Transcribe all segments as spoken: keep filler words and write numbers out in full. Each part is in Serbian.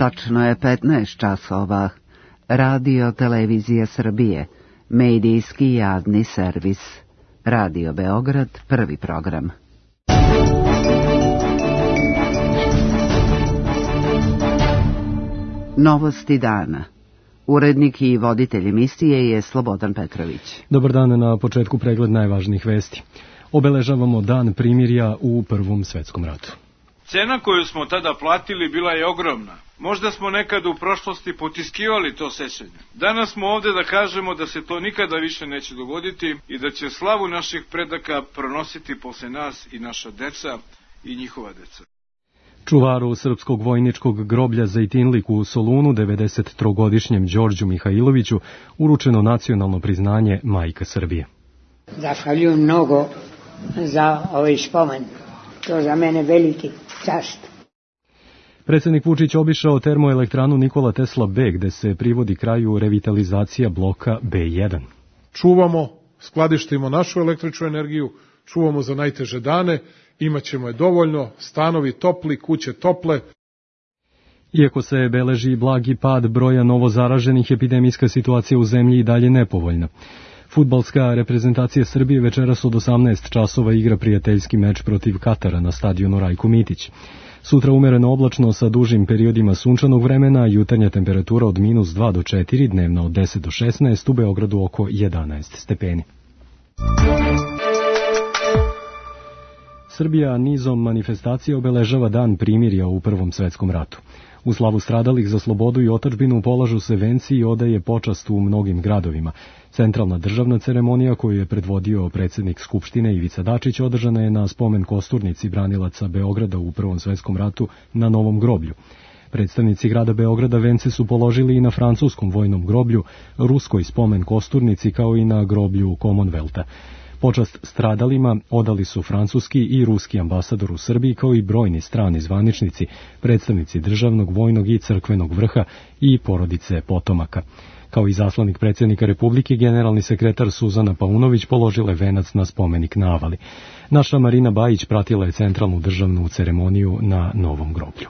Tačno je petnaest časova. Radio Televizija Srbije, medijski javni servis. Radio Beograd, prvi program. Novosti dana. Urednik i voditelj emisije je Slobodan Petrović. Dobar dan, na početku pregled najvažnijih vesti. Obeležavamo dan primirja u Prvom svetskom ratu. Cena koju smo tada platili bila je ogromna. Možda smo nekad u prošlosti potiskivali to sećanje. Danas smo ovde da kažemo da se to nikada više neće dogoditi i da će slavu naših predaka pronositi posle nas i naša deca i njihova deca. Čuvaru srpskog vojničkog groblja Zejtinlik u Solunu, devedesettrogodišnjem Đorđu Mihajloviću, uručeno nacionalno priznanje Majka Srbije. Zahvaljujem mnogo za ovaj spomen. To za mene veliki čast. Predsednik Vučić obišao termoelektranu Nikola Tesla B, gde se privodi kraju revitalizacija bloka B jedan. Čuvamo, skladištimo našu električnu energiju, čuvamo za najteže dane, imaćemo je dovoljno, stanovi topli, kuće tople. Iako se beleži blagi pad broja novozaraženih, epidemijska situacija u zemlji i dalje nepovoljna. Fudbalska reprezentacija Srbije večeras od osamnaest časova igra prijateljski meč protiv Katara na stadionu Rajko Mitić. Sutra umereno oblačno sa dužim periodima sunčanog vremena, jutarnja temperatura od minus dva do četiri, dnevna od deset do šesnaest, u Beogradu oko jedanaest stepeni. Srbija nizom manifestacija obeležava dan primirja u Prvom svetskom ratu. U slavu stradalih za slobodu i otadžbinu polažu se venci i odaje počast u mnogim gradovima. Centralna državna ceremonija koju je predvodio predsednik Skupštine Ivica Dačić održana je na spomen kosturnici branilaca Beograda u Prvom svetskom ratu na Novom groblju. Predstavnici grada Beograda vence su položili i na francuskom vojnom groblju, ruskoj spomen kosturnici kao i na groblju Commonwealtha. Počast stradalima odali su francuski i ruski ambasador u Srbiji kao i brojni strani zvaničnici, predstavnici državnog, vojnog i crkvenog vrha i porodice potomaka. Kao i zaslanik predsjednika Republike, generalni sekretar Suzana Paunović položila je venac na spomenik na Avali. Naša Marina Bajić pratila je centralnu državnu ceremoniju na Novom groblju.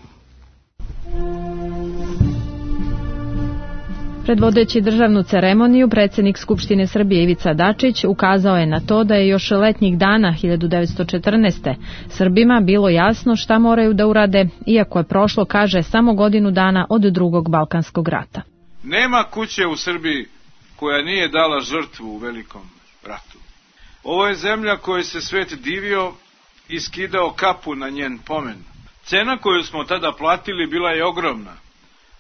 Predvodeći državnu ceremoniju, predsjednik Skupštine Srbije Ivica Dačić ukazao je na to da je još letnjih dana hiljadu devetsto četrnaeste. Srbima bilo jasno šta moraju da urade, iako je prošlo, kaže, samo godinu dana od drugog Balkanskog rata. Nema kuće u Srbiji koja nije dala žrtvu u velikom ratu. Ovo je zemlja kojoj se svet divio i skidao kapu na njen pomen. Cena koju smo tada platili bila je ogromna.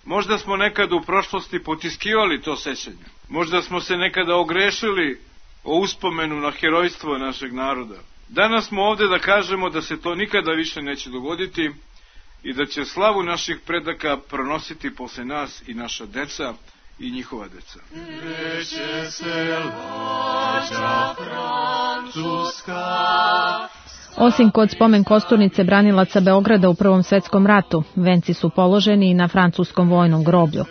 Možda smo nekad u prošlosti potiskivali to sećanje. Možda smo se nekada ogrešili o uspomenu na herojstvo našeg naroda. Danas smo ovde da kažemo da se to nikada više neće dogoditi i da će slavu naših predaka pronositi posle nas i naša deca i njihova deca. Neće se lađa Francuska. Osim kod spomen kosturnice branilaca Beograda u Prvom svetskom ratu, venci su položeni i na francuskom vojnom groblju.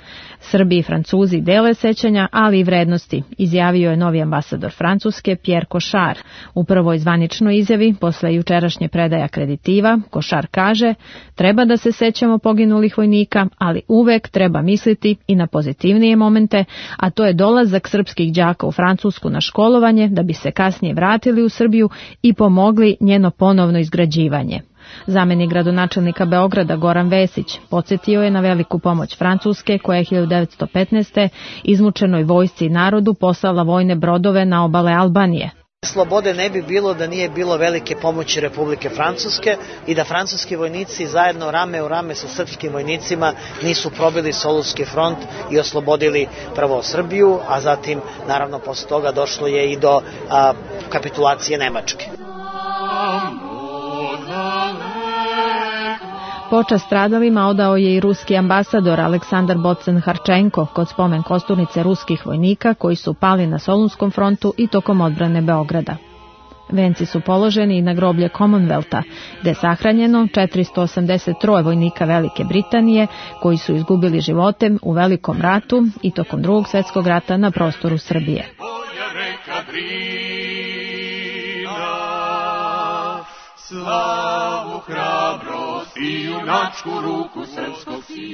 Srbi i Francuzi dele sećanja, ali i vrednosti, izjavio je novi ambasador Francuske Pierre Cochard. U prvoj zvaničnoj izjavi, posle jučerašnje predaje akreditiva, Cochard kaže: treba da se sećamo poginulih vojnika, ali uvek treba misliti i na pozitivnije momente, a to je dolazak srpskih đaka u Francusku na školovanje, da bi se kasnije vratili u Srbiju i pomogli njeno ponovno izgrađivanje. Zamenik gradonačelnika Beograda Goran Vesić podsjetio je na veliku pomoć Francuske koja je hiljadu devetsto petnaeste. izmučenoj vojsci i narodu poslala vojne brodove na obale Albanije. Slobode ne bi bilo da nije bilo velike pomoći Republike Francuske i da francuski vojnici zajedno rame u rame sa srpskim vojnicima nisu probili Solunski front i oslobodili prvo Srbiju, a zatim naravno posle toga došlo je i do a, kapitulacije Nemačke. Počast stradalima odao je i ruski ambasador Aleksandar Bocen-Harčenko kod spomen kosturnice ruskih vojnika koji su pali na Solunskom frontu i tokom odbrane Beograda. Venci su položeni i na groblje Commonwealtha, gde je sahranjeno četiristo osamdeset tri vojnika Velike Britanije koji su izgubili živote u Velikom ratu i tokom Drugog svjetskog rata na prostoru Srbije. Slavu, hrabrost i junačku ruku srpskog sina.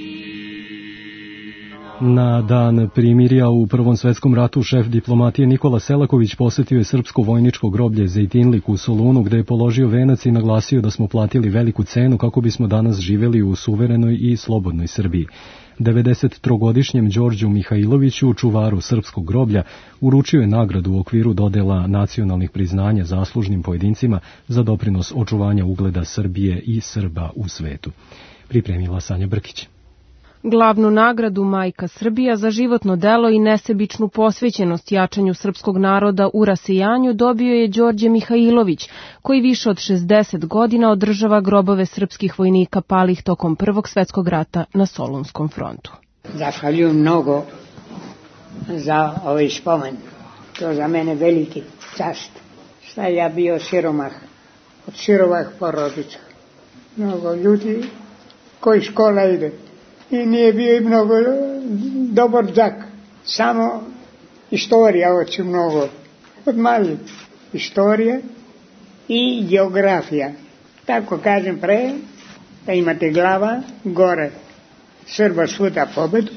Na dan primirja u Prvom svetskom ratu šef diplomatije Nikola Selaković posetio je srpsko vojničko groblje Zejtinlik u Solunu, gde je položio venac i naglasio da smo platili veliku cenu kako bismo danas živeli u suverenoj i slobodnoj Srbiji. devedesettrogodišnjem Đorđu Mihajloviću, čuvaru srpskog groblja, uručio je nagradu u okviru dodela nacionalnih priznanja zaslužnim pojedincima za doprinos očuvanja ugleda Srbije i Srba u svetu. Pripremila Sanja Brkić. Glavnu nagradu Majka Srbija za životno delo i nesebičnu posvećenost jačanju srpskog naroda u rasijanju dobio je Đorđe Mihajlović, koji više od šezdeset godina održava grobove srpskih vojnika palih tokom Prvog svetskog rata na Solunskom frontu. Zahvaljujem mnogo za ovaj spomen. To za mene veliki čast. Šta ja bio siromah, od sirovah porodica. Mnogo ljudi koji škola ide. I nije bio i mnogo dobar đak. Samo istorija hoće mnogo. Od mali. Istorija i geografija. Tako kažem pre, da imate glava gore. Srba svuda pobedu.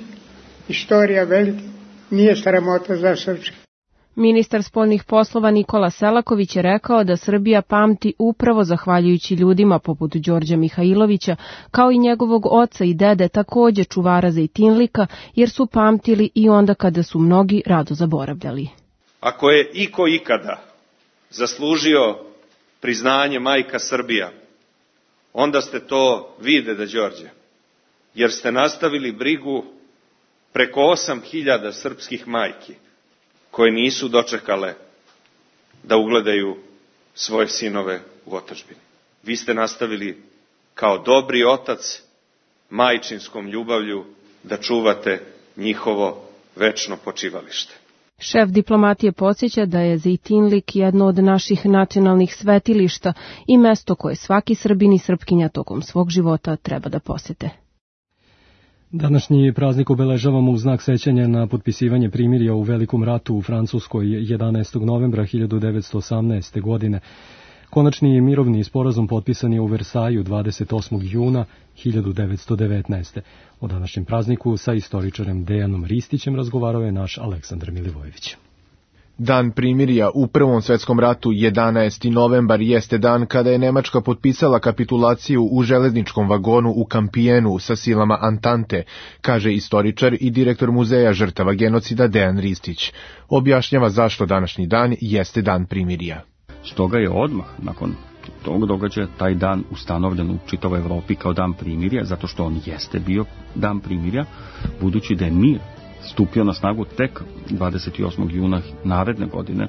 Istorija velika. Nije sramota za srpski. Ministar spoljnih poslova Nikola Selaković je rekao da Srbija pamti upravo zahvaljujući ljudima poput Đorđa Mihajlovića, kao i njegovog oca i dede, takođe čuvara Zejtinlika, jer su pamtili i onda kada su mnogi rado zaboravljali. Ako je iko ikada zaslužio priznanje Majka Srbija, onda ste to vi, deda Đorđe, jer ste nastavili brigu preko osam hiljada srpskih majki, koje nisu dočekale da ugledaju svoje sinove u otadžbini. Vi ste nastavili kao dobri otac majčinskom ljubavlju da čuvate njihovo večno počivalište. Šef diplomatije podsjeća da je Zejtinlik jedno od naših nacionalnih svetilišta i mesto koje svaki Srbin i Srpkinja tokom svog života treba da posete. Današnji praznik obeležavamo u znak sećanja na potpisivanje primirja u Velikom ratu u Francuskoj jedanaestog novembra hiljadu devetsto osamnaeste. godine. Konačni mirovni sporazum potpisan je u Versaju dvadeset osmog juna hiljadu devetsto devetnaeste. O današnjem prazniku sa istoričarem Dejanom Ristićem razgovarao je naš Aleksandar Milivojević. Dan primirja u Prvom svetskom ratu, jedanaesti novembar, jeste dan kada je Nemačka potpisala kapitulaciju u železničkom vagonu u Kampijenu sa silama Antante, kaže istoričar i direktor Muzeja žrtava genocida Dejan Ristić. Objašnjava zašto današnji dan jeste dan primirja. Stoga je odmah nakon tog događaja taj dan ustanovljen u čitavoj Evropi kao dan primirja, zato što on jeste bio dan primirja, budući da je mir stupio na snagu tek dvadeset osmog juna naredne godine,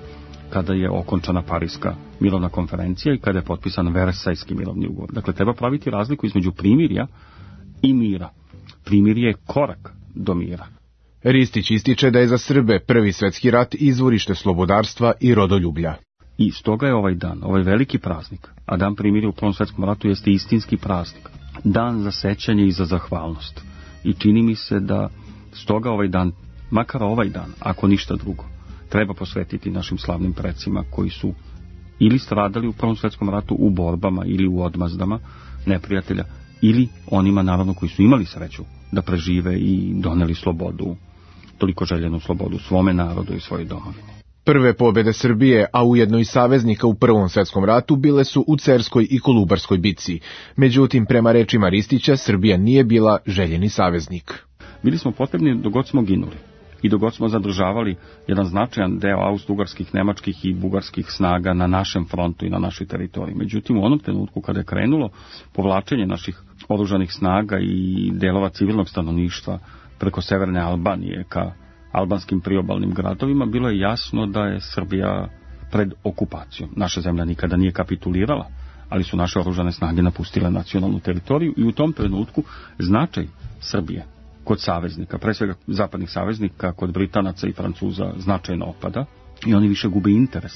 kada je okončana Pariska mirovna konferencija i kada je potpisan Versajski mirovni ugovor. Dakle, treba praviti razliku između primirja i mira. Primirje je korak do mira. Ristić ističe da je za Srbe Prvi svetski rat izvorište slobodarstva i rodoljublja. I stoga je ovaj dan, ovaj veliki praznik, a dan primirja u Prvom svetskom ratu jeste istinski praznik. Dan za sećanje i za zahvalnost. I čini mi se da stoga ovaj dan, makar ovaj dan, ako ništa drugo, treba posvetiti našim slavnim precima koji su ili stradali u Prvom svetskom ratu u borbama ili u odmazdama neprijatelja, ili onima naravno koji su imali sreću da prežive i doneli slobodu, toliko željenu slobodu svome narodu i svojoj domovini. Prve pobjede Srbije, a ujedno i saveznika u Prvom svetskom ratu, bile su u Cerskoj i Kolubarskoj bitci. Međutim, prema rečima Ristića, Srbija nije bila željeni saveznik. Bili smo potrebni dok god smo ginuli i dok god smo zadržavali jedan značajan deo austro-ugarskih, nemačkih i bugarskih snaga na našem frontu i na našoj teritoriji. Međutim, u onom trenutku kada je krenulo povlačenje naših oružanih snaga i delova civilnog stanovništva preko severne Albanije ka albanskim priobalnim gradovima, bilo je jasno da je Srbija pred okupacijom. Naša zemlja nikada nije kapitulirala, ali su naše oružane snage napustile nacionalnu teritoriju i u tom trenutku značaj Srbije kod saveznika, pre svega zapadnih saveznika, kod Britanaca i Francuza značajno opada i oni više gube interes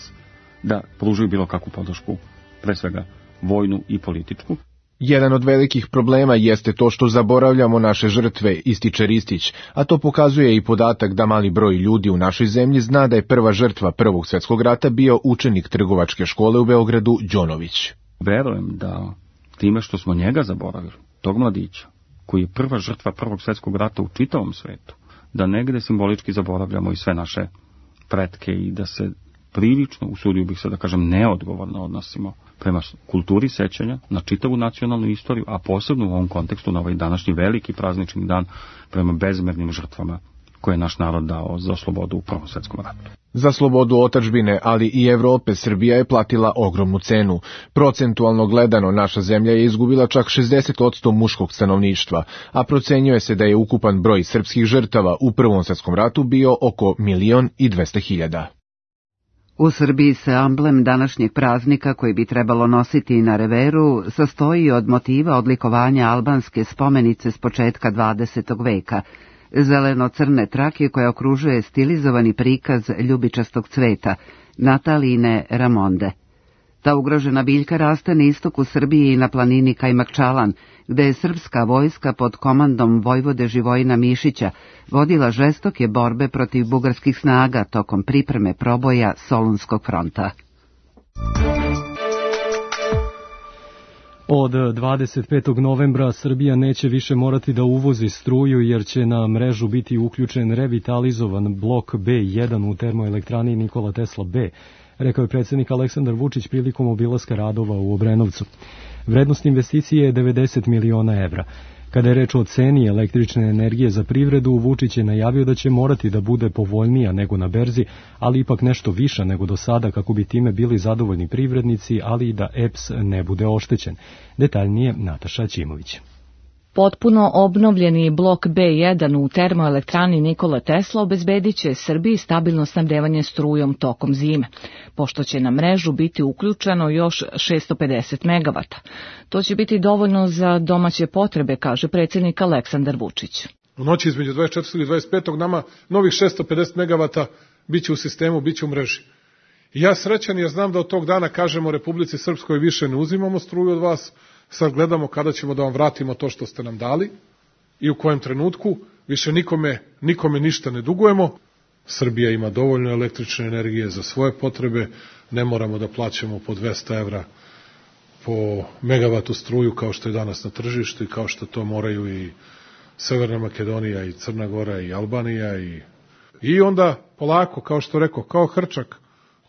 da pružaju bilo kakvu podršku, pre svega vojnu i političku. Jedan od velikih problema jeste to što zaboravljamo naše žrtve, ističe Ristić, a to pokazuje i podatak da mali broj ljudi u našoj zemlji zna da je prva žrtva Prvog svjetskog rata bio učenik trgovačke škole u Beogradu Đonović. Verujem da time što smo njega zaboravili, tog mladića, koji je prva žrtva Prvog svjetskog rata u čitavom svetu, da negde simbolički zaboravljamo i sve naše pretke i da se prilično, usudio bih se da kažem, neodgovorno odnosimo prema kulturi sećanja na čitavu nacionalnu istoriju, a posebno u ovom kontekstu na ovaj današnji veliki praznični dan prema bezmernim žrtvama koje je naš narod dao za slobodu u Prvom svjetskom ratu. Za slobodu otadžbine, ali i Evrope, Srbija je platila ogromnu cenu. Procentualno gledano, naša zemlja je izgubila čak šezdeset posto muškog stanovništva, a procenjuje se da je ukupan broj srpskih žrtava u Prvom svjetskom ratu bio oko milion i dvesta hiljada. U Srbiji se amblem današnjeg praznika, koji bi trebalo nositi na reveru, sastoji od motiva odlikovanja albanske spomenice s početka dvadesetog veka, zeleno-crne trake koja okružuje stilizovani prikaz ljubičastog cveta, Natalijine ramonde. Ta ugrožena biljka raste na istoku Srbije i na planini Kajmakčalan, gde je srpska vojska pod komandom vojvode Živojina Mišića vodila žestoke borbe protiv bugarskih snaga tokom pripreme proboja Solunskog fronta. Od dvadeset petog novembra Srbija neće više morati da uvozi struju jer će na mrežu biti uključen revitalizovan blok B jedan u termoelektrani Nikola Tesla B, rekao je predsjednik Aleksandar Vučić prilikom obilaska radova u Obrenovcu. Vrednost investicije je devedeset miliona evra. Kada je reč o ceni električne energije za privredu, Vučić je najavio da će morati da bude povoljnija nego na berzi, ali ipak nešto viša nego do sada kako bi time bili zadovoljni privrednici, ali i da E P S ne bude oštećen. Detaljnije Nataša Ćimović. Potpuno obnovljeni blok B jedan u termoelektrani Nikola Tesla obezbedit će Srbiji stabilno snabdevanje strujom tokom zime, pošto će na mrežu biti uključeno još šessto pedeset megavata. To će biti dovoljno za domaće potrebe, kaže predsjednik Aleksandar Vučić. U noći između dvadeset četvrtog i dvadeset petog nama novih šessto pedeset megavata biće u sistemu, biće u mreži. I ja srećan jer znam da od tog dana kažemo Republici Srpskoj više ne uzimamo struju od vas, sad gledamo kada ćemo da vam vratimo to što ste nam dali i u kojem trenutku, više nikome, nikome ništa ne dugujemo. Srbija ima dovoljno električne energije za svoje potrebe, ne moramo da plaćamo po dvesta evra po megavatu struju kao što je danas na tržištu i kao što to moraju i Severna Makedonija i Crna Gora i Albanija i, i onda polako, kao što rekao, kao hrčak,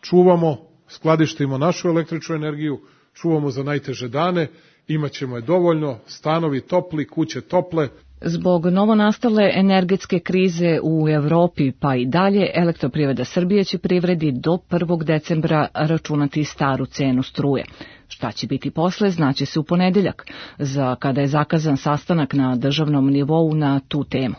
čuvamo, skladištimo našu električnu energiju, čuvamo za najteže dane, imaćemo je dovoljno, stanovi topli, kuće tople. Zbog novonastale energetske krize u Evropi pa i dalje, Elektroprivreda Srbije će privredi do prvog decembra računati staru cenu struje. Šta će biti posle, znaće se u ponedeljak, za kada je zakazan sastanak na državnom nivou na tu temu.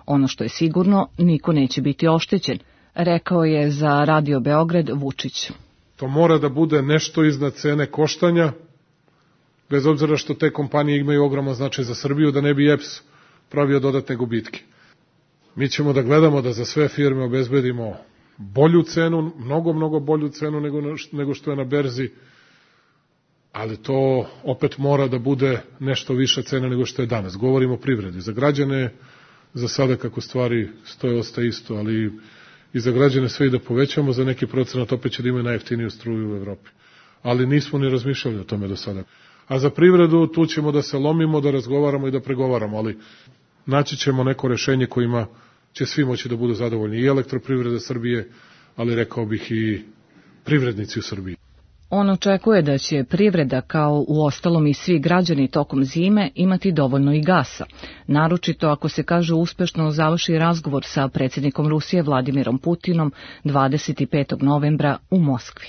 Ono što je sigurno, niko neće biti oštećen, rekao je za Radio Beograd Vučić. To mora da bude nešto iznad cene koštanja, bez obzira što te kompanije imaju ogroman značaj za Srbiju, da ne bi E P S pravio dodatne gubitke. Mi ćemo da gledamo da za sve firme obezbedimo bolju cenu, mnogo, mnogo bolju cenu nego, nego što je na berzi, ali to opet mora da bude nešto viša cena nego što je danas. Govorimo o privredi. Za građane, za sada kako stvari stoje, ostaje isto, ali i za građane sve i da povećamo za neki procenat, opet će da imaju najjeftiniju struju u Evropi. Ali nismo ni razmišljali o tome do sada. A za privredu tu ćemo da se lomimo, da razgovaramo i da pregovaramo, ali naći ćemo neko rešenje kojima će svi moći da budu zadovoljni. I Elektroprivreda Srbije, ali rekao bih i privrednici u Srbiji. On očekuje da će privreda, kao u ostalom i svi građani tokom zime, imati dovoljno i gasa. Naročito ako se, kaže, uspešno završi razgovor sa predsjednikom Rusije Vladimirom Putinom dvadeset petog novembra u Moskvi.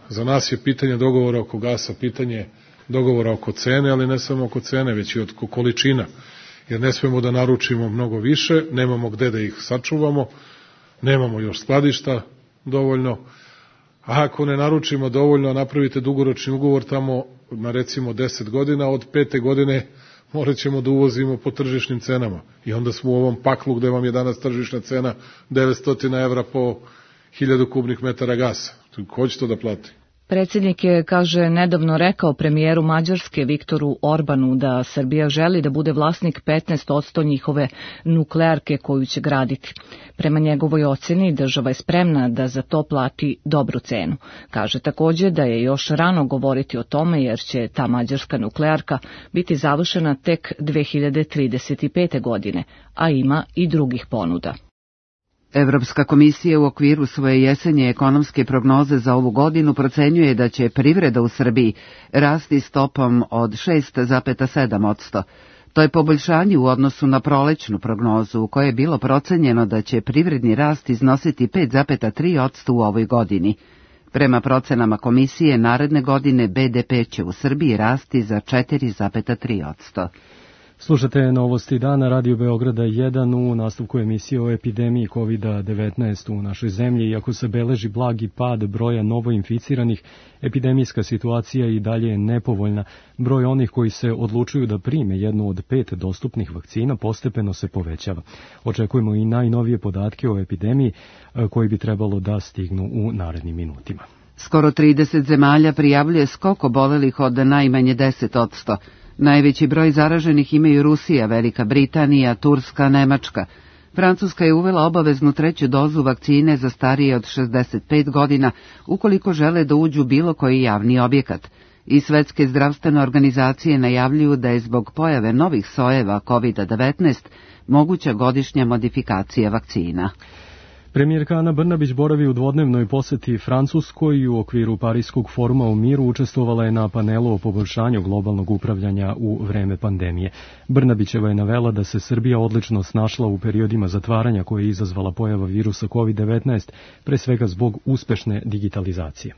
Za nas je pitanje dogovora oko gasa, pitanje dogovora oko cene, ali ne samo oko cene, već i oko količina. Jer ne smemo da naručimo mnogo više, nemamo gde da ih sačuvamo, nemamo još skladišta dovoljno. A ako ne naručimo dovoljno, napravite dugoročni ugovor tamo na recimo deset godina, od pete godine morat ćemo da uvozimo po tržišnim cenama. I onda smo u ovom paklu gde vam je danas tržišna cena devetsto evra po hiljadu kubnih metara gasa. Ko će to da plati? Predsjednik je, kaže, nedavno rekao premijeru Mađarske Viktoru Orbanu da Srbija želi da bude vlasnik petnaest posto njihove nuklearke koju će graditi. Prema njegovoj oceni država je spremna da za to plati dobru cenu. Kaže također da je još rano govoriti o tome jer će ta mađarska nuklearka biti završena tek dve hiljade trideset pete. godine, a ima i drugih ponuda. Evropska komisija u okviru svoje jesenje ekonomske prognoze za ovu godinu procenjuje da će privreda u Srbiji rasti stopom od šest zarez sedam posto. To je poboljšanje u odnosu na prolećnu prognozu u kojoj je bilo procenjeno da će privredni rast iznositi pet zarez tri posto u ovoj godini. Prema procenama komisije, naredne godine be de pe će u Srbiji rasti za četiri zarez tri posto. Slušate novosti dana Radio Beograda jedan u nastavku emisije o epidemiji kovid devetnaest u našoj zemlji. Iako se beleži blagi pad broja novoinficiranih, epidemijska situacija i dalje je nepovoljna. Broj onih koji se odlučuju da prime jednu od pet dostupnih vakcina postepeno se povećava. Očekujemo i najnovije podatke o epidemiji koji bi trebalo da stignu u narednim minutima. Skoro trideset zemalja prijavljuje skok obolelih od najmanje deset posto. Najveći broj zaraženih imaju Rusija, Velika Britanija, Turska, Nemačka. Francuska je uvela obaveznu treću dozu vakcine za starije od šezdeset pet godina ukoliko žele da uđu bilo koji javni objekat. I Svetske zdravstvene organizacije najavljuju da je zbog pojave novih sojeva kovid devetnaest moguća godišnja modifikacija vakcina. Premijerka Ana Brnabić boravi u dvodnevnoj poseti Francuskoj i u okviru Pariskog foruma o miru učestvovala je na panelu o poboljšanju globalnog upravljanja u vreme pandemije. Brnabićeva je navela da se Srbija odlično snašla u periodima zatvaranja koje je izazvala pojava virusa kovid devetnaest, pre svega zbog uspešne digitalizacije.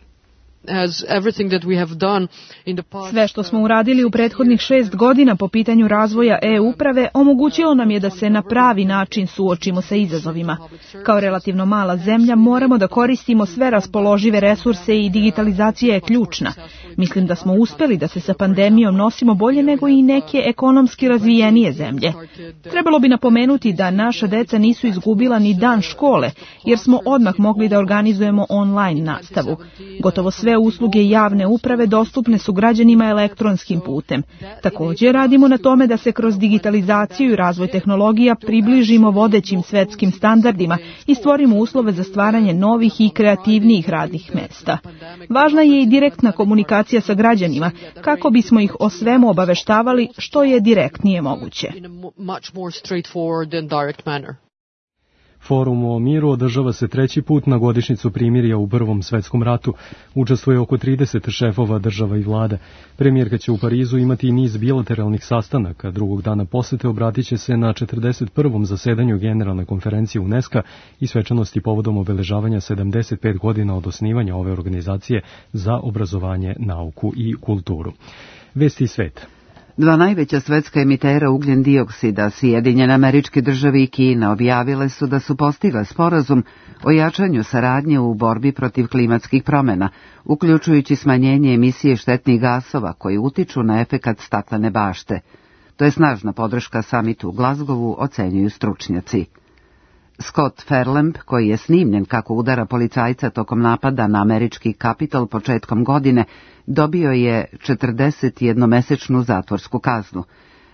Sve što smo uradili u prethodnih šest godina po pitanju razvoja e-uprave omogućilo nam je da se na pravi način suočimo sa izazovima. Kao relativno mala zemlja moramo da koristimo sve raspoložive resurse i digitalizacija je ključna. Mislim da smo uspeli da se sa pandemijom nosimo bolje nego i neke ekonomski razvijenije zemlje. Trebalo bi napomenuti da naša deca nisu izgubila ni dan škole, jer smo odmah mogli da organizujemo online nastavu. Gotovo sve usluge javne uprave dostupne su građanima elektronskim putem. Također radimo na tome da se kroz digitalizaciju i razvoj tehnologija približimo vodećim svetskim standardima i stvorimo uslove za stvaranje novih i kreativnijih radnih mesta. Važna je i direktna komunikacija sa građanima, kako bismo ih o svemu obaveštavali što je direktnije moguće. Forum o miru održava se treći put na godišnjicu primirja u Prvom svetskom ratu. Učestvuje oko trideset šefova država i vlada. Premijerka će u Parizu imati i niz bilateralnih sastanaka. Drugog dana posete obratit će se na četrdeset prvom zasedanju Generalne konferencije UNESCO i svečanosti povodom obeležavanja sedamdeset pet godina od osnivanja ove organizacije za obrazovanje, nauku i kulturu. Vesti sveta. Dva najveća svetska emitera ugljen dioksida, Sjedinjene Američke Države i Kina, objavile su da su postigle sporazum o jačanju saradnje u borbi protiv klimatskih promjena, uključujući smanjenje emisije štetnih gasova koji utiču na efekat staklene bašte. To je snažna podrška samitu u Glazgovu, ocenjuju stručnjaci. Scott Fairlamp, koji je snimljen kako udara policajca tokom napada na američki Kapitol početkom godine, dobio je četrdesetjednomesečnu zatvorsku kaznu.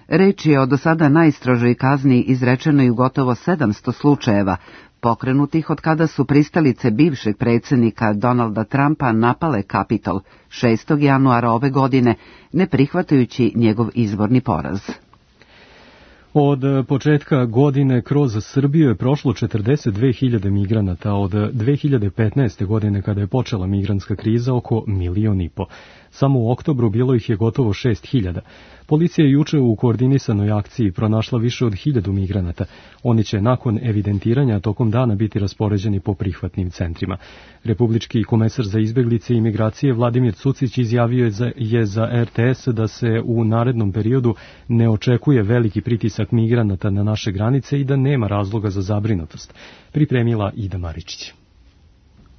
Reč je o do sada najstrožoj kazni izrečenoj u gotovo sedamsto slučajeva, pokrenutih od kada su pristalice bivšeg predsjednika Donalda Trumpa napale Kapitol šestog januara ove godine, ne prihvatajući njegov izborni poraz. Od početka godine kroz Srbiju je prošlo četrdeset dve hiljade migranata, od dve hiljade petnaeste. godine kada je počela migrantska kriza oko milion i po. Samo u oktobru bilo ih je gotovo šest hiljada. Policija je juče u koordinisanoj akciji pronašla više od hiljadu migranata. Oni će nakon evidentiranja tokom dana biti raspoređeni po prihvatnim centrima. Republički komesar za izbeglice i migracije Vladimir Cucić izjavio je za, je za er te es da se u narednom periodu ne očekuje veliki pritisak migranata na naše granice i da nema razloga za zabrinutost. Pripremila Ida Maričić.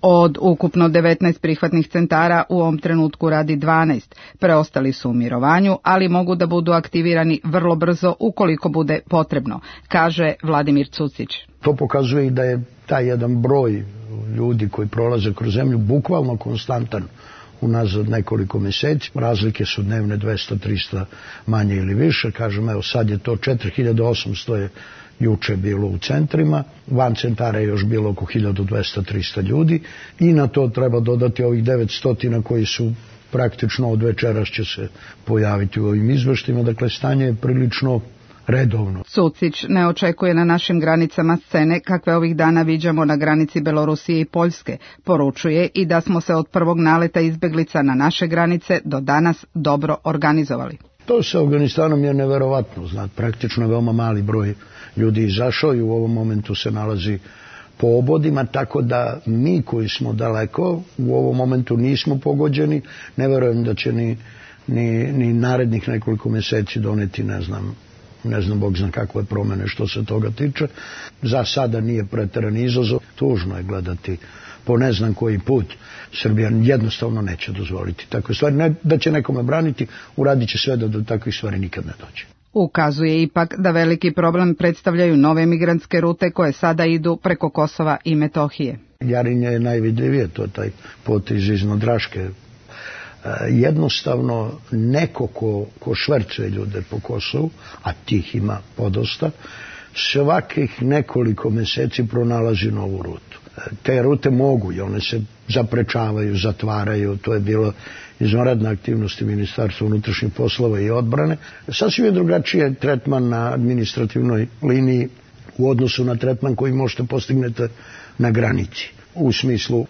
Od ukupno devetnaest prihvatnih centara u ovom trenutku radi dvanaest. Preostali su u mirovanju, ali mogu da budu aktivirani vrlo brzo ukoliko bude potrebno, kaže Vladimir Cucić. To pokazuje i da je taj jedan broj ljudi koji prolaze kroz zemlju bukvalno konstantan unazad nekoliko meseci. Razlike su dnevne dvesta trista manje ili više. Kažem, evo sad je to četiri hiljade osamsto je juče bilo u centrima, van centara je još bilo oko hiljadu dvesta trista ljudi i na to treba dodati ovih devetsto koji su praktično od večeras će se pojaviti u ovim izveštima. Dakle, stanje je prilično redovno. Cucić ne očekuje na našim granicama scene kakve ovih dana viđamo na granici Belorusije i Poljske. Poručuje i da smo se od prvog naleta izbeglica na naše granice do danas dobro organizovali. To sa Afganistanom je neverovatno. Znat, praktično je veoma mali broj ljudi izašao i u ovom momentu se nalazi po obodima, tako da mi koji smo daleko u ovom momentu nismo pogođeni. Ne verujem da će ni, ni, ni narednih nekoliko meseci doneti, ne znam, ne znam, Bog zna kakve promene što se toga tiče. Za sada nije preterani izazov. Tužno je gledati po ne znam koji put. Srbija jednostavno neće dozvoliti takve stvari. Ne da će nekome braniti, uradit će sve da do takvih stvari nikad ne dođe. Ukazuje ipak da veliki problem predstavljaju nove migrantske rute koje sada idu preko Kosova i Metohije. Jarinje je najvidljivije, to je taj potez iz Nodraške. Jednostavno neko ko, ko švercuje ljude po Kosovu, a tih ima podosta, svakih nekoliko meseci pronalazi novu rutu. Te rute mogu i one se zaprečavaju, zatvaraju, to je bilo izvanredna aktivnosti Ministarstva unutrašnjih poslova i odbrane. Sasvim je drugačiji tretman na administrativnoj liniji u odnosu na tretman koji možete postignete na granici, u smislu e,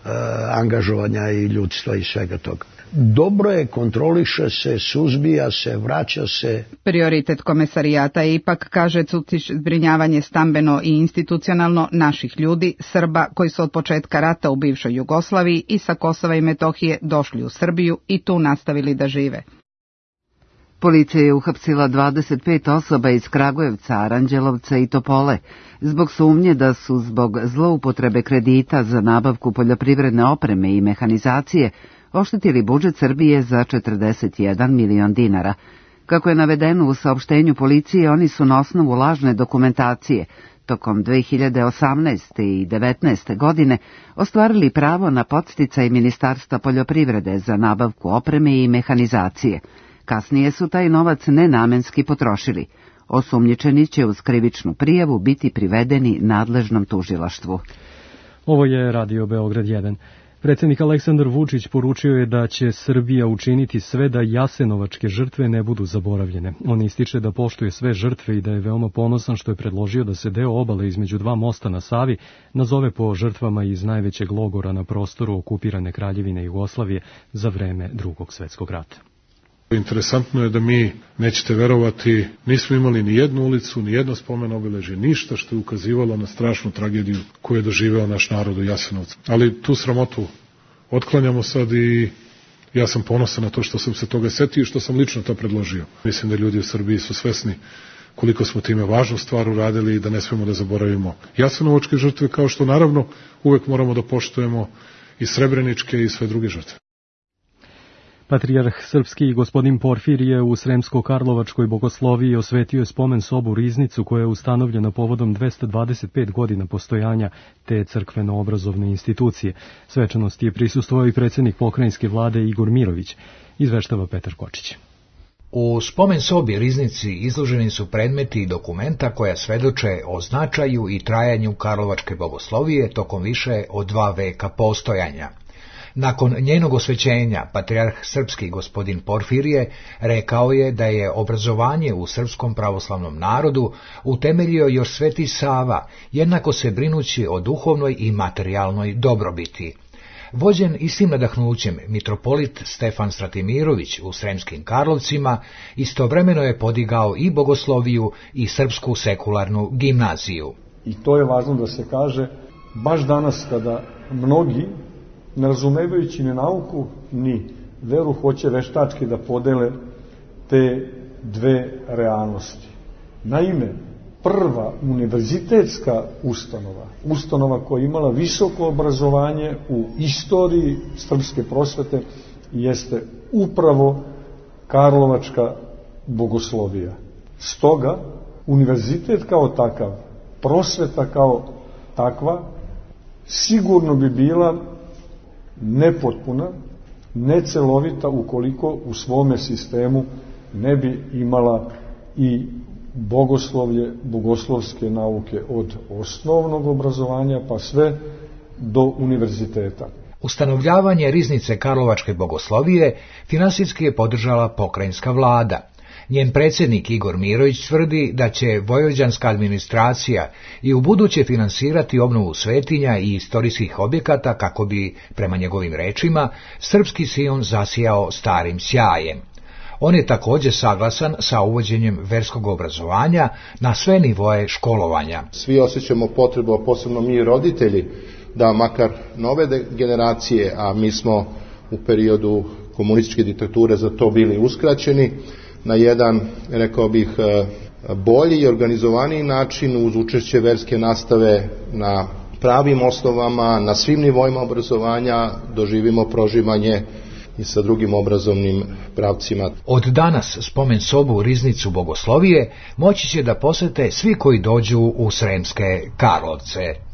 angažovanja i ljudstva i svega toga. Dobro je, kontroliše se, suzbija se, vraća se. Prioritet komesarijata je ipak, kaže Cucić, zbrinjavanje stambeno i institucionalno naših ljudi, Srba koji su od početka rata u bivšoj Jugoslaviji i sa Kosova i Metohije došli u Srbiju i tu nastavili da žive. Policija je uhapsila dvadeset pet osoba iz Kragujevca, Aranđelovca i Topole zbog sumnje da su zbog zloupotrebe kredita za nabavku poljoprivredne opreme i mehanizacije oštetili budžet Srbije za četrdeset jedan milion dinara. Kako je navedeno u saopštenju policije, oni su na osnovu lažne dokumentacije tokom dve hiljade osamnaeste i devetnaeste. godine ostvarili pravo na podsticaj Ministarstva poljoprivrede za nabavku opreme i mehanizacije. Kasnije su taj novac nenamenski potrošili. Osumnjičeni će uz krivičnu prijavu biti privedeni nadležnom tužilaštvu. Ovo je Radio Beograd jedan. Predsjednik Aleksandar Vučić poručio je da će Srbija učiniti sve da jasenovačke žrtve ne budu zaboravljene. On ističe da poštuje sve žrtve i da je veoma ponosan što je predložio da se deo obale između dva mosta na Savi nazove po žrtvama iz najvećeg logora na prostoru okupirane Kraljevine Jugoslavije za vreme Drugog svjetskog rata. Interesantno je da mi, nećete verovati, nismo imali ni jednu ulicu, ni jedno spomen obeležje, ništa što je ukazivalo na strašnu tragediju koju je doživeo naš narod u Jasenovcu. Ali tu sramotu otklanjamo sad i ja sam ponosan na to što sam se toga setio i što sam lično to predložio. Mislim da ljudi u Srbiji su svesni koliko smo time važnu stvar uradili i da ne smemo da zaboravimo jasenovačke žrtve, kao što naravno uvek moramo da poštujemo i srebreničke i sve druge žrtve. Patrijarh srpski gospodin Porfirije u Sremsko-Karlovačkoj bogosloviji osvetio je spomen sobu Riznicu koja je ustanovljena povodom dvesta dvadeset pet godina postojanja te crkveno-obrazovne institucije. Svečanosti je prisustvovao i predsjednik pokrajinske vlade Igor Mirović, izveštava Petar Kočić. U spomen sobi Riznici izloženi su predmeti i dokumenta koja svedoče o značaju i trajanju Karlovačke bogoslovije tokom više od dva veka postojanja. Nakon njenog osvećenja, patrijarh srpski gospodin Porfirije rekao je da je obrazovanje u srpskom pravoslavnom narodu utemeljio još Sveti Sava, jednako se brinući o duhovnoj i materijalnoj dobrobiti. Vođen istim nadahnućem, mitropolit Stefan Stratimirović u Sremskim Karlovcima istovremeno je podigao i bogosloviju i srpsku sekularnu gimnaziju. I to je važno da se kaže, baš danas kada mnogi, ne razumevajući ni nauku, ni veru, hoće veštački da podele te dve realnosti. Naime, prva univerzitetska ustanova, ustanova koja je imala visoko obrazovanje u istoriji srpske prosvete, jeste upravo Karlovačka bogoslovija. Stoga, univerzitet kao takav, prosveta kao takva, sigurno bi bila nepotpuna necelovita ukoliko u svome sistemu ne bi imala i bogoslovlje, bogoslovske nauke od osnovnog obrazovanja pa sve do univerziteta. Ustanovljavanje riznice Karlovačke bogoslovije finansijski je podržala pokrajinska vlada. Njen predsjednik Igor Mirović tvrdi da će vojvođanska administracija i u buduće finansirati obnovu svetinja i istorijskih objekata kako bi, prema njegovim rečima, srpski Sion zasijao starim sjajem. On je također saglasan sa uvođenjem verskog obrazovanja na sve nivoe školovanja. Svi osjećamo potrebu, a posebno mi roditelji, da makar nove generacije, a mi smo u periodu komunističke diktature za to bili uskraćeni, na jedan, rekao bih, bolji i organizovaniji način uz učešće verske nastave na pravim osnovama, na svim nivoima obrazovanja doživimo proživanje i sa drugim obrazovnim pravcima. Od danas spomen sobu u riznicu bogoslovije moći će da posete svi koji dođu u Sremske Karlovce.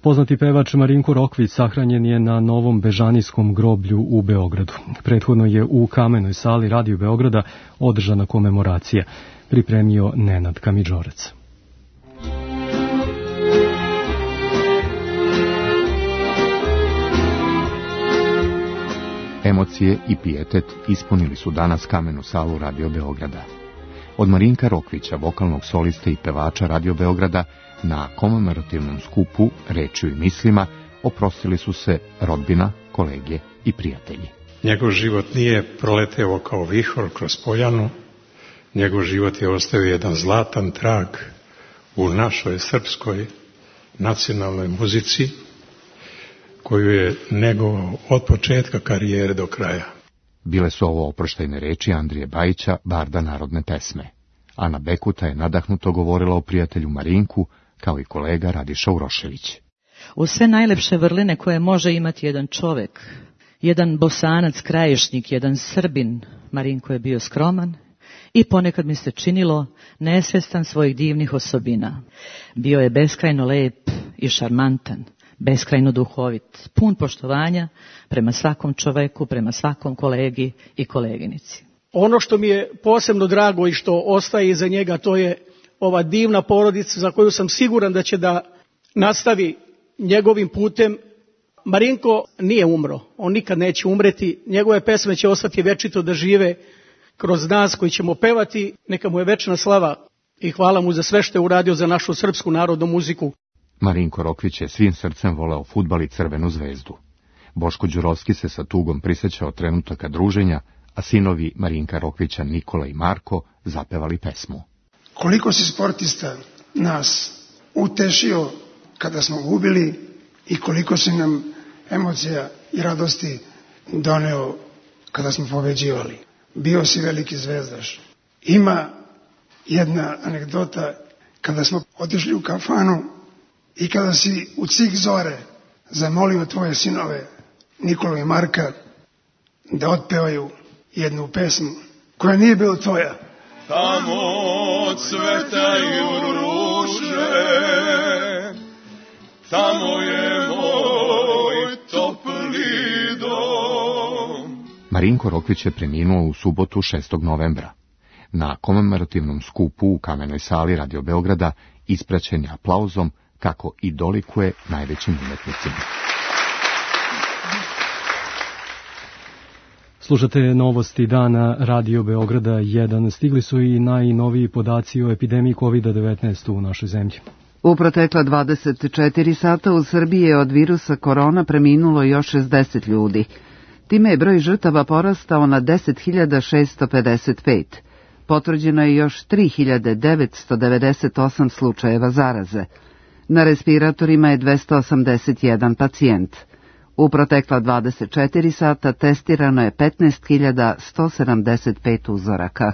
Poznati pevač Marinko Rokvić sahranjen je na Novom Bežanijskom groblju u Beogradu. Prethodno je u Kamenoj sali Radio Beograda održana komemoracija. Pripremio Nenad Kamidžorac. Emocije i pijetet ispunili su danas Kamenu salu Radio Beograda. Od Marinka Rokvića, vokalnog soliste i pevača Radio Beograda, na komemorativnom skupu Rečju i mislima oprostili su se rodbina, kolege i prijatelji. Njegov život nije proleteo kao vihor kroz poljanu, njegov život je ostavio jedan zlatan trag u našoj srpskoj nacionalnoj muzici, koju je negovao od početka karijere do kraja. Bile su ovo oproštajne reči Andrije Bajića, barda narodne pesme. Ana Bekuta je nadahnuto govorila o prijatelju Marinku, kao i kolega Radiša Urošević. U sve najlepše vrline koje može imati jedan čovek, jedan Bosanac, Krajišnik, jedan Srbin, Marinko je bio skroman i ponekad mi se činilo nesvestan svojih divnih osobina. Bio je beskrajno lep i šarmantan, beskrajno duhovit, pun poštovanja prema svakom čoveku, prema svakom kolegi i koleginici. Ono što mi je posebno drago i što ostaje iza njega, to je ova divna porodica za koju sam siguran da će da nastavi njegovim putem. Marinko nije umro, on nikad neće umreti, njegove pesme će ostati večito da žive kroz nas koji ćemo pevati, neka mu je večna slava i hvala mu za sve što je uradio za našu srpsku narodnu muziku. Marinko Rokvić je svim srcem voleo fudbal i Crvenu zvezdu. Boško Đurovski se sa tugom prisjećao trenutaka druženja, a sinovi Marinka Rokvića, Nikola i Marko, zapevali pesmu. Koliko si sportista nas utešio kada smo gubili i koliko si nam emocija i radosti doneo kada smo pobeđivali. Bio si veliki zvezdaš. Ima jedna anegdota kada smo otišli u kafanu i kada si u cik zore zamolio tvoje sinove Nikolu i Marka da otpevaju jednu pesmu koja nije bila tvoja. Tamo cvetaju ruže, tamo je moj topli dom. Marinko Rokvić je preminuo u subotu šestog novembra. Na komemorativnom skupu u Kamenoj sali Radio Beograda ispraćen je aplauzom kako i dolikuje najvećim umetnicima. Slušate novosti dana Radio Beograda jedan. Stigli su i najnoviji podaci o epidemiji kovid devetnaest u našoj zemlji. U protekla dvadeset četiri sata u Srbiji je od virusa korona preminulo još šezdeset ljudi. Time je broj žrtava porastao na deset hiljada šessto pedeset pet. Potvrđeno je još tri hiljade devetsto devedeset osam slučajeva zaraze. Na respiratorima je dvesta osamdeset jedan pacijent. U protekla dvadeset četiri sata testirano je petnaest hiljada sto sedamdeset pet uzoraka.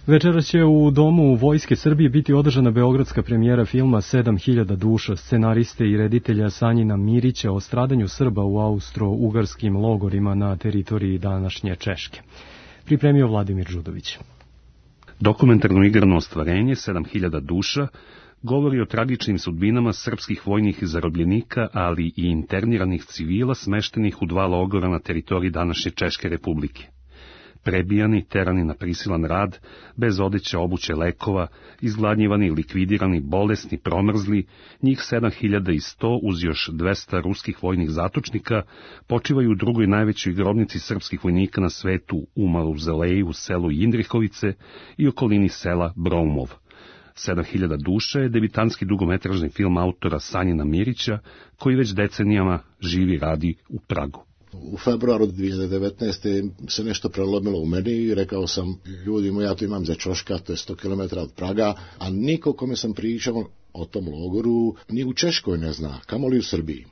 Večeras će u Domu Vojske Srbije biti održana beogradska premijera filma sedam hiljada duša, scenariste i reditelja Sanjina Mirića o stradanju Srba u austro-ugarskim logorima na teritoriji današnje Češke. Pripremio Vladimir Žudović. Dokumentarno igrano ostvarenje sedam hiljada duša govori o tragičnim sudbinama srpskih vojnih zarobljenika, ali i interniranih civila smeštenih u dva logora na teritoriji današnje Češke republike. Prebijani, terani na prisilan rad, bez odeće, obuće, lekova, izgladnjivani, likvidirani, bolesni, promrzli, njih sedam hiljada sto uz još dvesta ruskih vojnih zatočnika počivaju u drugoj najvećoj grobnici srpskih vojnika na svetu, u Mauzeleju u selu Jindrihovice i okolini sela Broumov. sedam hiljada duša je debitanski dugometražni film autora Sanjina Mirića, koji već decenijama živi i radi u Pragu. U februaru dvije hiljade devetnaeste. se nešto prelomilo u meni i rekao sam ljudima, ja to imam za Čoška, to je sto kilometara od Praga, a niko kome sam pričao o tom logoru ni u Češkoj ne zna, kamoli u Srbiji.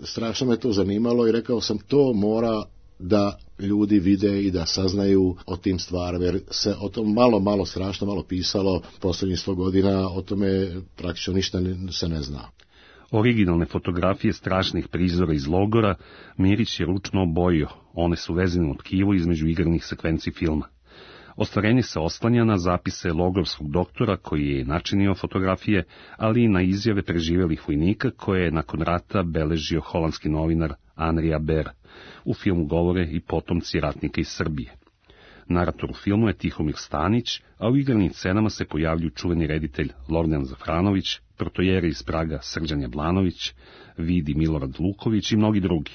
Strašno me to zanimalo i rekao sam to mora da ljudi vide i da saznaju o tim stvarima, jer se o tom malo, malo strašno malo pisalo posljednjih sto godina, o tome praktično ništa se ne zna. Originalne fotografije strašnih prizora iz logora Mirić je ručno obojio, one su vezane u tkivo između igranih sekvenci filma. Ostvarenje se oslanja na zapise logorskog doktora koji je načinio fotografije, ali i na izjave preživelih vojnika koje je nakon rata beležio holandski novinar Henri Aber. U filmu govore i potomci ratnika iz Srbije. Narator u filmu je Tihomir Stanić, a u igranim scenama se pojavljuju čuveni reditelj Lordan Zafranović, protojere iz Praga Srđan Jablanović, Vidi Milorad Luković i mnogi drugi.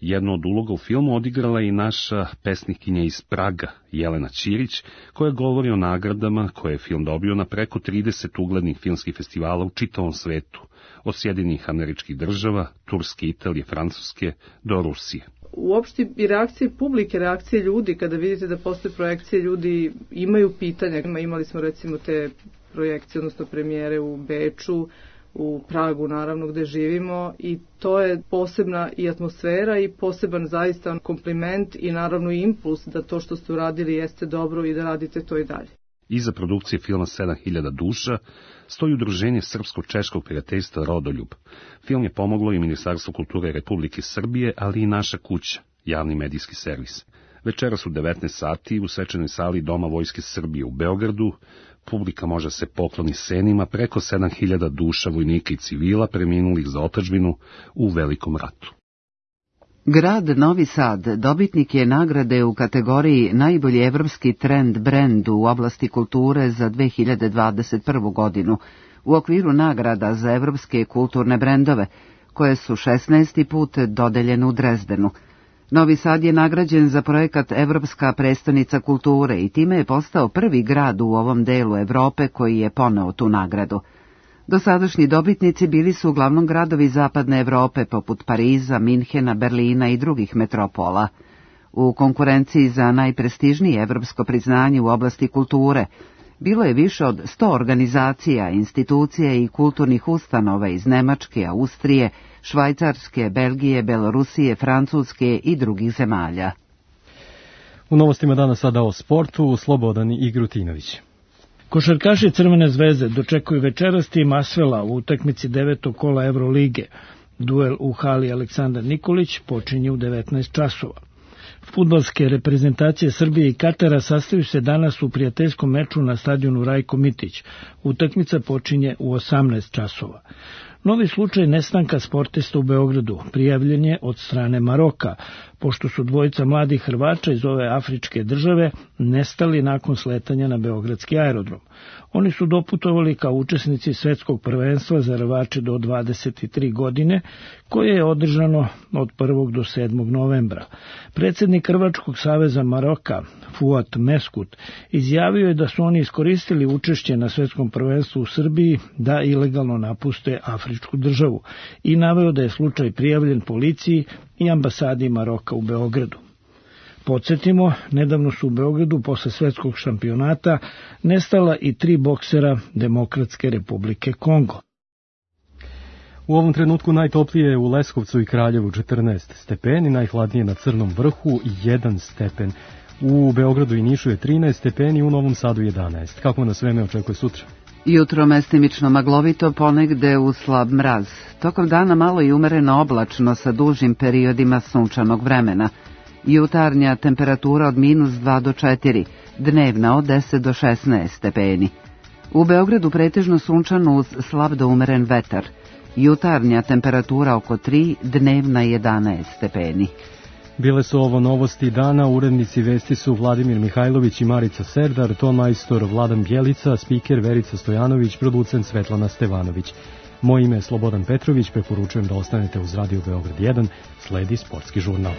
Jednu od uloga u filmu odigrala je i naša pesnikinja iz Praga, Jelena Ćirić, koja govori o nagradama koje je film dobio na preko trideset uglednih filmskih festivala u čitavom svetu, od Sjedinjenih Američkih Država, Turske, Italije, Francuske do Rusije. Uopšte i reakcije publike, reakcije ljudi, kada vidite da postoje projekcije, ljudi imaju pitanja. Imali smo recimo te projekcije, odnosno premijere u Beču, u Pragu naravno gde živimo, i to je posebna i atmosfera i poseban zaista kompliment i naravno impuls da to što ste uradili jeste dobro i da radite to i dalje. Iza produkcije filma sedam hiljada duša stoji udruženje Srpsko-češkog prijateljstva Rodoljub. Film je pomoglo i Ministarstvo kulture Republike Srbije, ali i Naša kuća, javni medijski servis. Večeras u devetnaest sati u svečanoj sali Doma Vojske Srbije u Beogradu publika može se pokloni senima preko sedam hiljada duša vojnika i civila preminulih za otadžbinu u Velikom ratu. Grad Novi Sad dobitnik je nagrade u kategoriji najbolji evropski trend brend u oblasti kulture za dve hiljade dvadeset prvu. godinu u okviru nagrada za evropske kulturne brendove, koje su šesnaesti put dodeljene u Drezdenu. Novi Sad je nagrađen za projekat Evropska prestonica kulture i time je postao prvi grad u ovom delu Evrope koji je poneo tu nagradu. Dosadašnji dobitnici bili su uglavnom gradovi zapadne Evrope poput Pariza, Minhena, Berlina i drugih metropola. U konkurenciji za najprestižnije evropsko priznanje u oblasti kulture bilo je više od sto organizacija, institucija i kulturnih ustanova iz Nemačke, Austrije, Švajcarske, Belgije, Belorusije, Francuske i drugih zemalja. U novostima danas sada o sportu, Slobodan Igrutinović. Košarkaši Crvene zvezde dočekuju večeras tim Asvela u utakmici devetog kola Evrolige. Duel u hali Aleksandar Nikolić počinje u devetnaest časova. Fudbalske reprezentacije Srbije i Katara sastaju se danas u prijateljskom meču na stadionu Rajko Mitić. Utakmica počinje u osamnaest časova. Novi slučaj nestanka sportista u Beogradu prijavljen je od strane Maroka, pošto su dvojica mladih Hrvača iz ove afričke države nestali nakon sletanja na beogradski aerodrom. Oni su doputovali kao učesnici svetskog prvenstva za rvače do dvadeset tri godine, koje je održano od prvog do sedmog novembra. Predsjednik Hrvačkog saveza Maroka, Fuat Meskut, izjavio je da su oni iskoristili učešće na svetskom prvenstvu u Srbiji da ilegalno napuste afričku državu i naveo da je slučaj prijavljen policiji i ambasadi Maroka u Beogradu. Podsjetimo, nedavno su u Beogradu posle svetskog šampionata nestala i tri boksera Demokratske republike Kongo. U ovom trenutku najtoplije je u Leskovcu i Kraljevu četrnaest stepeni, najhladnije na Crnom vrhu jedan stepen. U Beogradu i Nišu je trinaest stepeni, u Novom Sadu jedanaest. Kako nas vreme očekuje sutra? Jutro mestimično maglovito, ponegde uz slab mraz. Tokom dana malo i umereno oblačno sa dužim periodima sunčanog vremena. Jutarnja temperatura od minus dva do četiri, dnevna od deset do šesnaest stepeni. U Beogradu pretežno sunčano uz slab do umeren vetar. Jutarnja temperatura oko tri, dnevna jedanaest stepeni. Bile su ovo novosti dana, urednici vesti su Vladimir Mihajlović i Marica Serdar, ton majstor Vladan Bjelica, spiker Verica Stojanović, producent Svetlana Stevanović. Moje ime je Slobodan Petrović, preporučujem da ostanete uz Radio Beograd jedan, sledi sportski žurnal.